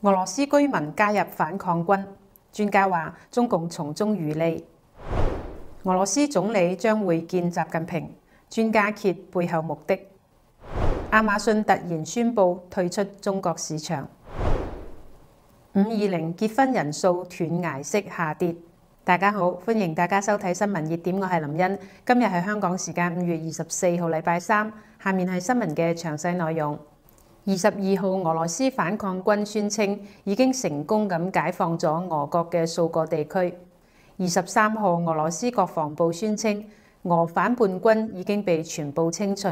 俄羅斯居民加入反抗軍，專家話中共從中漁利。俄羅斯總理將會見習近平，專家揭背後目的。亞馬遜突然宣布退出中國市場。520結婚人數斷崖式下跌。大家好，歡迎大家收睇新聞熱點，我係林茵。今日係香港時間5月24號，禮拜三。下面係新聞嘅詳細內容。22號，俄羅斯反抗軍宣稱已經成功咁解放咗俄國嘅數個地區。23號，俄羅斯國防部宣稱俄反叛軍已經被全部清除。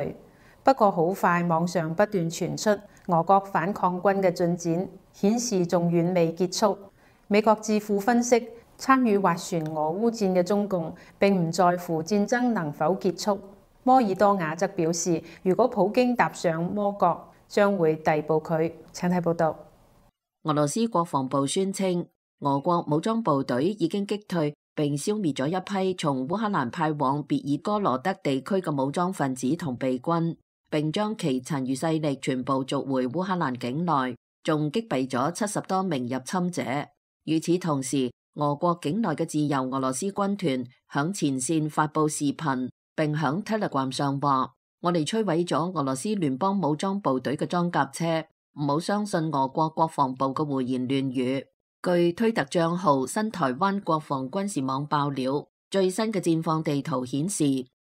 不過好快，網上不斷傳出俄國反抗軍嘅進展，顯示仲遠未結束。美國智庫分析，參與斡旋俄烏戰嘅中共並唔在乎戰爭能否結束。摩爾多瓦則表示，如果普京踏上魔角，將會逮捕佢。請睇報道。俄羅斯國防部宣稱，俄國武裝部隊已經擊退並消滅咗一批從烏克蘭派往別爾哥羅德地區嘅武裝分子同備軍，並將其殘餘勢力全部逐回烏克蘭境內，仲擊斃咗70多名入侵者。與此同時，俄國境內嘅自由俄羅斯軍團響前線發佈視頻，並響 Telegram 上話：我哋摧毀咗俄羅斯聯邦武裝部隊嘅裝甲車，唔好相信俄國國防部嘅胡言亂語。據推特賬號新台灣國防軍事網爆料，最新嘅戰況地圖顯示，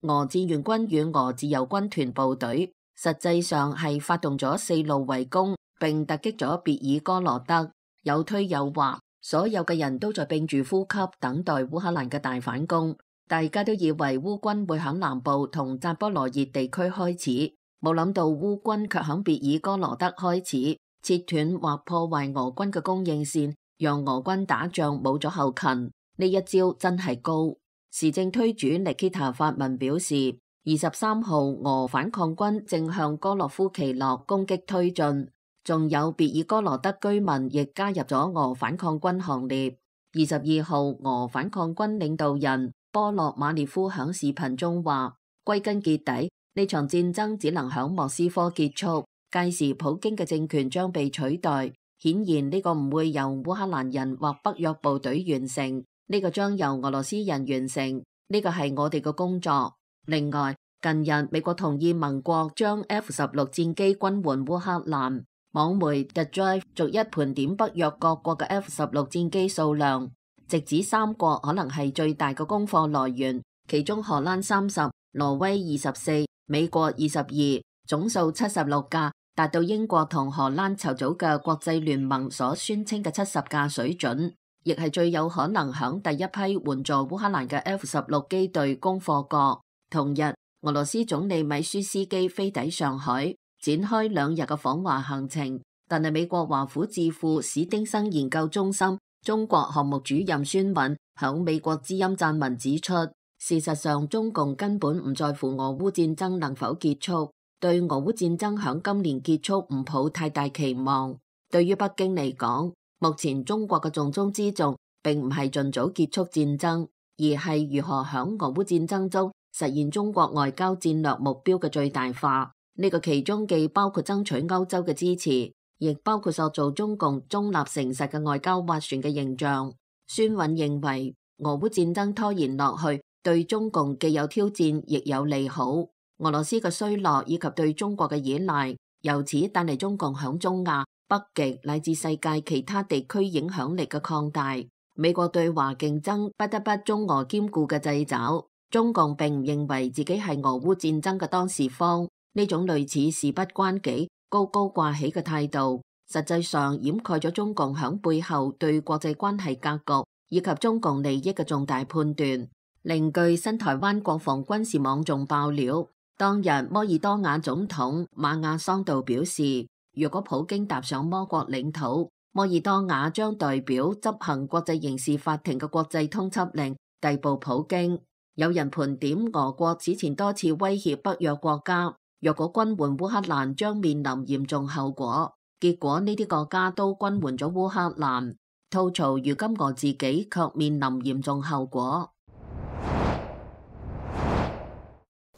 俄志願軍與俄自由軍團部隊實際上係發動咗4路圍攻，並突擊咗別爾哥羅德。有推有話，所有嘅人都在屏住呼吸，等待烏克蘭嘅大反攻。大家都以為烏軍會響南部同扎波羅熱地區開始，冇諗到烏軍卻響別爾哥羅德開始切斷或破壞俄軍嘅供應線，讓俄軍打仗冇咗後勤。呢一招真係高。時政推主尼基塔發文表示，23號俄反抗軍正向哥洛夫奇諾攻擊推進，仲有別爾哥羅德居民亦加入咗俄反抗軍行列。22號俄反抗軍領導人波洛馬列夫響視頻中話：歸根結底，呢場戰爭只能響莫斯科結束，屆時普京嘅政權將被取代。顯然呢個唔會由烏克蘭人或北約部隊完成，呢個將由俄羅斯人完成，呢個係我哋嘅工作。另外，近日美國同意盟國將 F-16戰機軍援烏克蘭，網媒 The Drive 逐一盤點北約各國嘅 F-16戰機數量，直指3國可能係最大嘅供貨來源，其中荷蘭30、挪威24、美國22，總數76架，達到英國同荷蘭籌組嘅國際聯盟所宣稱嘅70架水準，亦係最有可能響第一批援助烏克蘭嘅 F-16機隊供貨國。同日，俄羅斯總理米舒斯基飛抵上海，展開2日嘅訪華行程。但係美國華府智庫史丁生研究中心中國項目主任孫敏響美國之音撰文指出，事實上中共根本唔在乎俄烏戰爭能否結束，對俄烏戰爭響今年結束唔抱太大期望。對於北京嚟講，目前中國嘅重中之重並唔係盡早結束戰爭，而係如何響俄烏戰爭中實現中國外交戰略目標嘅最大化。呢個其中既包括爭取歐洲嘅支持，亦包括塑造中共中立誠實嘅外交斡旋嘅形象。孫允認為，俄烏戰爭拖延落去，對中共既有挑戰，亦有利好。俄羅斯嘅衰落以及對中國嘅依賴，由此帶嚟中共響中亞、北極乃至世界其他地區影響力嘅擴大。美國對華競爭不得不中俄兼顧嘅掣肘。中共並唔認為自己係俄烏戰爭嘅當事方，呢種類似事不關己、高高掛起嘅態度，實際上掩蓋咗中共響背後對國際關係格局以及中共利益嘅重大判斷。另據新台灣國防軍事網仲爆料，當日摩爾多瓦總統馬亞桑道表示，如果普京踏上魔國領土，摩爾多瓦將代表執行國際刑事法庭嘅國際通緝令，逮捕普京。有人盤點俄國此前多次威脅北約國家，若果軍援烏克蘭將面臨嚴重後果。結果呢啲國家都軍援咗烏克蘭，吐槽如今俄自己卻面臨嚴重後果。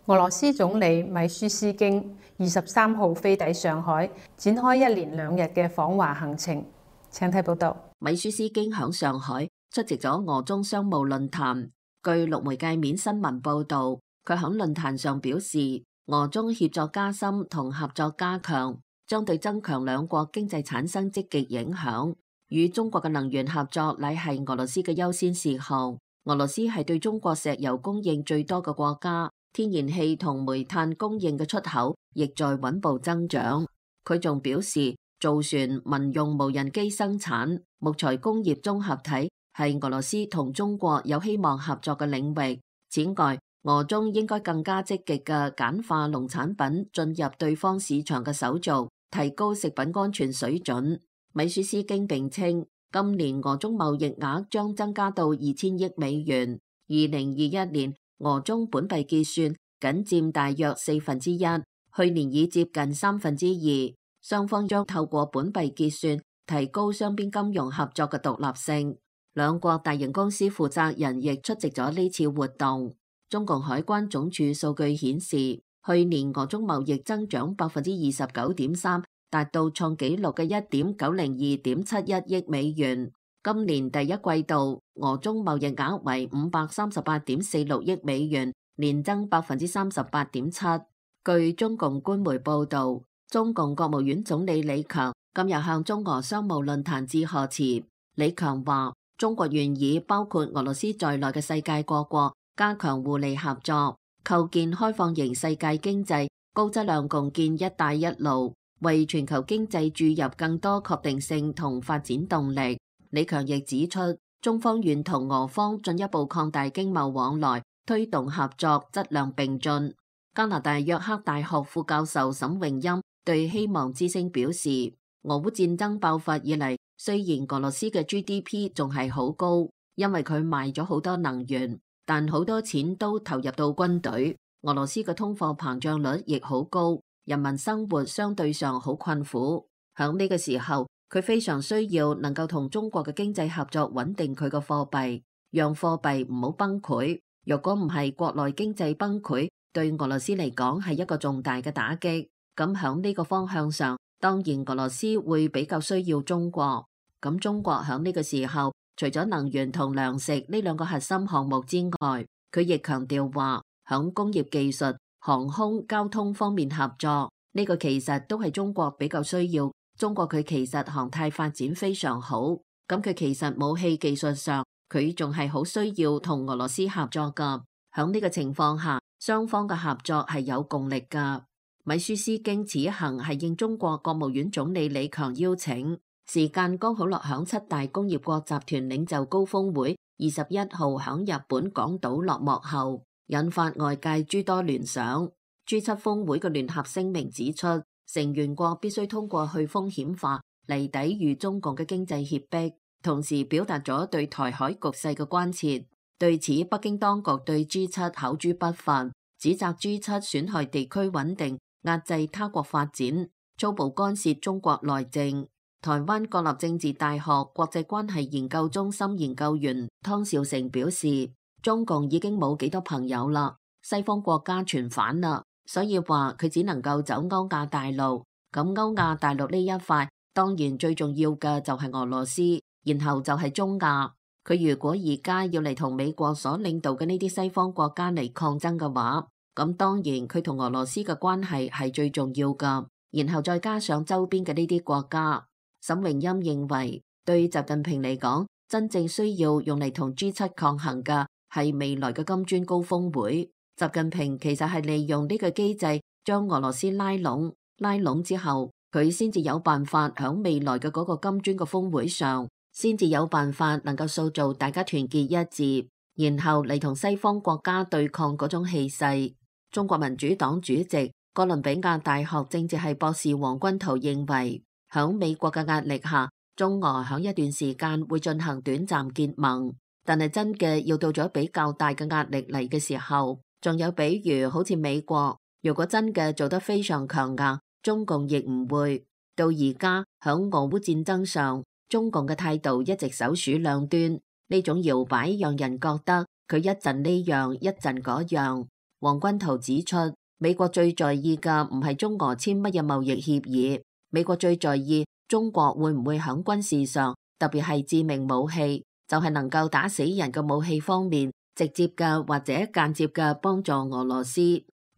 俄羅斯總理米舒斯京23號飛抵上海，展開1連2日嘅訪華行程。請睇報道。米舒斯京響上海出席咗俄中商務論壇。據陸媒介面新聞報道，佢響論壇上表示，俄中協作加深同合作加強，將對增強兩國經濟產生積極影響。與中國嘅能源合作乃係俄羅斯嘅優先事項。俄羅斯係對中國石油供應最多嘅國家，天然氣同煤炭供應嘅出口亦在穩步增長。佢仲表示，造船、民用無人機生產、木材工業綜合體係俄羅斯同中國有希望合作嘅領域。此外，俄中應該更加積極嘅簡化農產品進入對方市場嘅手續，提高食品安全水準。米舒斯京並稱，今年俄中貿易額將增加到2000億美元。2021年俄中本幣結算僅佔大約1/4，去年已接近2/3。雙方將透過本幣結算提高雙邊金融合作嘅獨立性。兩國大型公司負責人亦出席咗呢次活動。中共海關總署數據顯示，去年俄中貿易增長29.3%，達到創紀錄嘅1.902.71億美元。今年第一季度，俄中貿易額為538.46億美元，年增38.7%。據中共官媒報導，中共國務院總理李強今日向中俄商務論壇致賀詞。李強話：中國願意包括俄羅斯在內嘅世界各國加強互利合作，構建開放型世界經濟，高質量共建一帶一路，為全球經濟注入更多確定性同發展動力。李強亦指出，中方願同俄方進一步擴大經貿往來，推動合作質量並進。加拿大約克大學副教授沈榮欽對希望之聲表示，俄烏戰爭爆發以嚟，雖然俄羅斯嘅 GDP 仲係好高，因為佢賣咗好多能源，但好多錢都投入到軍隊。俄羅斯嘅通貨膨脹率亦好高，人民生活相對上好困苦。響呢個時候，佢非常需要能夠同中國嘅經濟合作，穩定佢嘅貨幣，讓貨幣唔好崩潰。若果唔係國內經濟崩潰，對俄羅斯嚟講係一個重大嘅打擊。咁響呢個方向上，當然俄羅斯會比較需要中國。咁中國響呢個時候，除咗能源同糧食呢兩個核心項目之外，佢亦強調話響工業技術、航空、交通方面合作，呢個其實都係中國比較需要。中國佢其實航太發展非常好，咁佢其實武器技術上佢仲係好需要同俄羅斯合作噶。響呢個情況下，雙方嘅合作係有共力噶。米舒斯京此行係應中國國務院總理李強邀請，時間剛好落響7大工業國集團領袖高峰會21號響日本廣島落幕後，引發外界諸多聯想。G7峰會嘅聯合聲明指出，成員國必須通過去風險化嚟抵禦中共嘅經濟脅迫，同時表達咗對台海局勢嘅關切。對此，北京當局對 G7 口誅筆伐，指責 G7 損害地區穩定，壓制他國發展，粗暴干涉中國內政。台灣國立政治大學國際關係研究中心研究員湯兆成表示，中共已經冇幾多朋友啦，西方國家全反啦，所以話佢只能夠走歐亞大陸。咁歐亞大陸呢一塊，當然最重要嘅就係俄羅斯，然後就係中亞。佢如果而家要嚟同美國所領導嘅呢啲西方國家嚟抗爭嘅話，咁當然佢同俄羅斯嘅關係係最重要噶，然後再加上周邊嘅呢啲國家。沈榮欽認為，對習近平嚟講，真正需要用嚟同 G7 抗衡嘅係未來嘅金磚高峰會。習近平其實係利用呢個機制將俄羅斯拉攏之後，佢先至有辦法響未來嘅嗰個金磚嘅峰會上，先至有辦法能夠塑造大家團結一致，然後嚟同西方國家對抗嗰種氣勢。中國民主黨主席、哥倫比亞大學政治系博士黃君濤認為，響美國嘅壓力下，中俄響一段時間會進行短暫結盟，但係真嘅要到咗比較大嘅壓力嚟嘅時候，仲有比如好似美國，如果真嘅做得非常強硬，中共亦唔會。到而家響俄烏戰爭上，中共嘅態度一直首鼠兩端，呢種搖擺讓人覺得佢一陣呢樣一陣嗰樣。黃君濤指出，美國最在意嘅唔係中俄簽乜嘢貿易協議，美國最在意中國會唔會喺軍事上，特別係致命武器，就係能夠打死人嘅武器方面，直接嘅或者間接嘅幫助俄羅斯？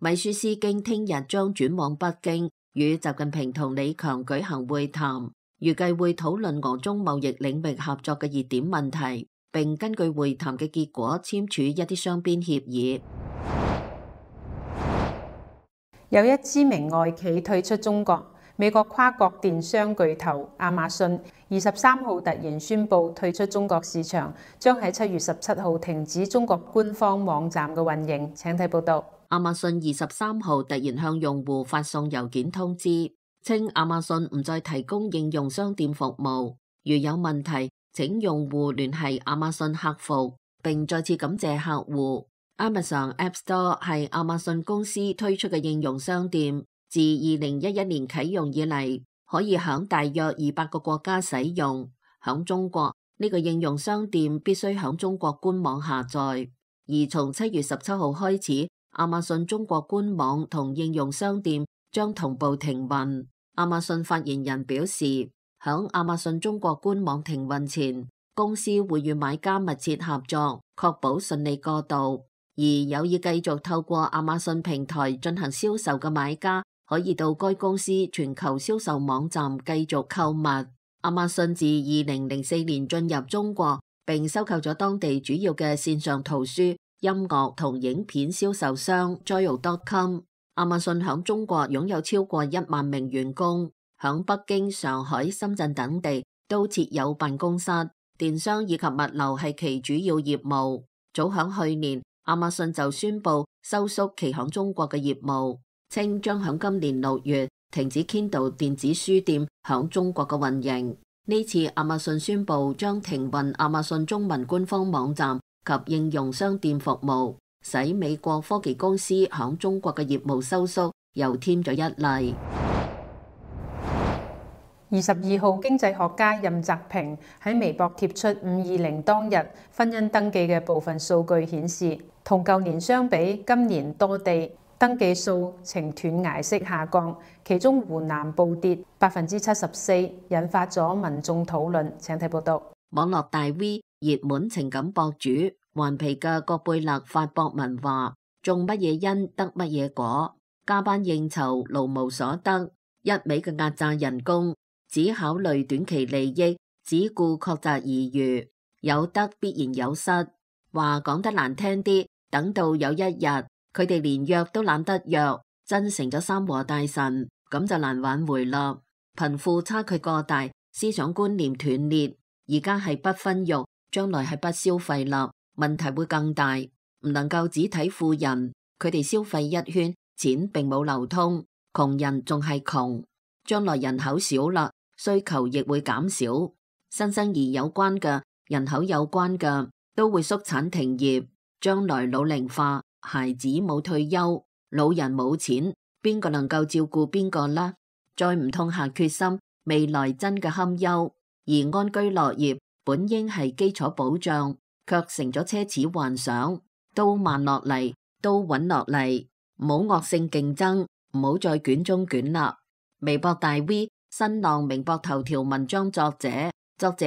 米舒斯京聽日將轉往北京，與習近平同李強舉行會談，預計會討論俄中貿易領域合作嘅熱點問題，並根據會談嘅結果簽署一啲雙邊協議。有一知名外企退出中國，美國跨國電商巨頭亞馬遜23號突然宣布退出中國市場，將喺7月17號停止中國官方網站嘅運營。請睇報道。亞馬遜23號突然向用戶發送郵件通知，稱亞馬遜唔再提供應用商店服務，如有問題，請用戶聯繫亞馬遜客服，並再次感謝客戶。Amazon App Store 係亞馬遜公司推出嘅應用商店，自2011年啟用以嚟，可以響大約200個國家使用。響中國，呢個應用商店必須響中國官網下載，而從7月17號開始，亞馬遜中國官網同應用商店將同步停運。亞馬遜發言人表示，響亞馬遜中國官網停運前，公司會與買家密切合作，確保順利過渡。而有意繼續透過亞馬遜平台進行銷售嘅買家，可以到該公司全球銷售網站繼續購物。亞馬遜自2004年進入中國，並收購咗當地主要嘅線上圖書、音樂同影片銷售商 Joyo.com。亞馬遜響中國擁有超過1萬名員工，響北京、上海、深圳等地都設有辦公室。電商以及物流係其主要業務。早響去年，亞馬遜就宣布收縮其響中國嘅業務，稱將響今年6月停止 Kindle 電子書店響中國嘅運營。呢次亞馬遜宣布將停運亞馬遜中文官方網站及應用商店服務，使美國科技公司響中國嘅業務收縮又添咗一例。22號，經濟學家任澤平喺微博貼出520當日婚姻登記嘅部分數據顯示，同舊年相比，今年多地登記數呈斷崖式下降，其中湖南暴跌74%，引發咗民眾討論。請睇報道。網絡大 V、熱門情感博主頑皮嘅葛貝勒發博文話：種乜嘢因得乜嘢果，加班應酬勞無所得，一味嘅壓榨人工，只考慮短期利益，只顧確擇而餘，有得必然有失。話講得難聽啲，等到有一日佢哋連約都懶得約，真成咗三和大神，咁就難挽回啦。貧富差距過大，思想觀念斷裂，而家係不分肉，將來係不消費啦，問題會更大。唔能夠只睇富人，佢哋消費一圈，錢並冇流通，窮人仲係窮。將來人口少啦，需求亦會減少，新生兒有關嘅、人口有關嘅都會縮產停業。將來老齡化，孩子冇退休，老人冇錢，邊個能夠照顧邊個呢？再唔痛下決心，未來真嘅堪憂。而安居樂業本應係基礎保障，卻成咗奢侈幻想。都慢落嚟，都穩落嚟，唔好惡性競爭，唔好再捲中捲啦。微博大 V、新浪明博頭條文章作者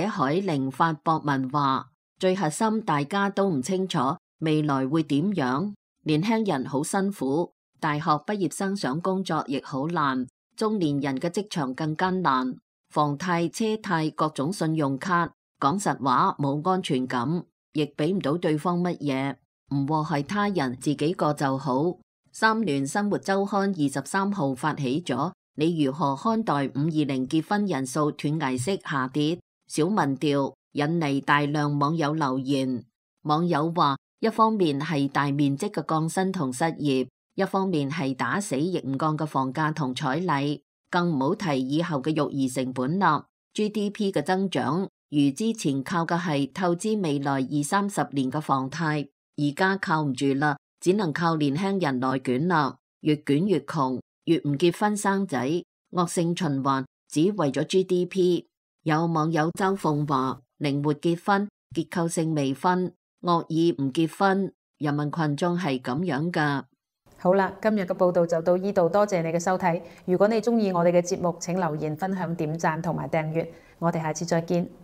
海玲發博文話：最核心大家都唔清楚未來會點樣，年輕人好辛苦，大學畢業生想工作亦好難，中年人嘅職場更艱難，房貸、車貸、各種信用卡，講實話冇安全感，亦俾唔到對方乜嘢，唔禍害他人，自己過就好。三聯生活週刊23號發起咗你如何看待520結婚人數斷崖式下跌小民調，引嚟大量網友留言。網友話，一方面係大面積嘅降薪同失業，一方面係打死亦唔降嘅房價同彩禮，更唔好提以後嘅育兒成本啦。GDP 嘅增長如之前靠嘅係透支未來20-30年嘅房貸，而家靠唔住啦，只能靠年輕人內捲啦，越捲越窮，越唔結婚生仔，惡性循環，只為咗 GDP。有網友周鳳話：靈活結婚，結構性未婚，惡意唔結婚，人民群眾係咁樣噶。好啦，今日嘅報道就到呢度，多謝你嘅收睇。如果你鍾意我哋嘅節目，請留言、分享、點讚同埋訂閱。我哋下次再見。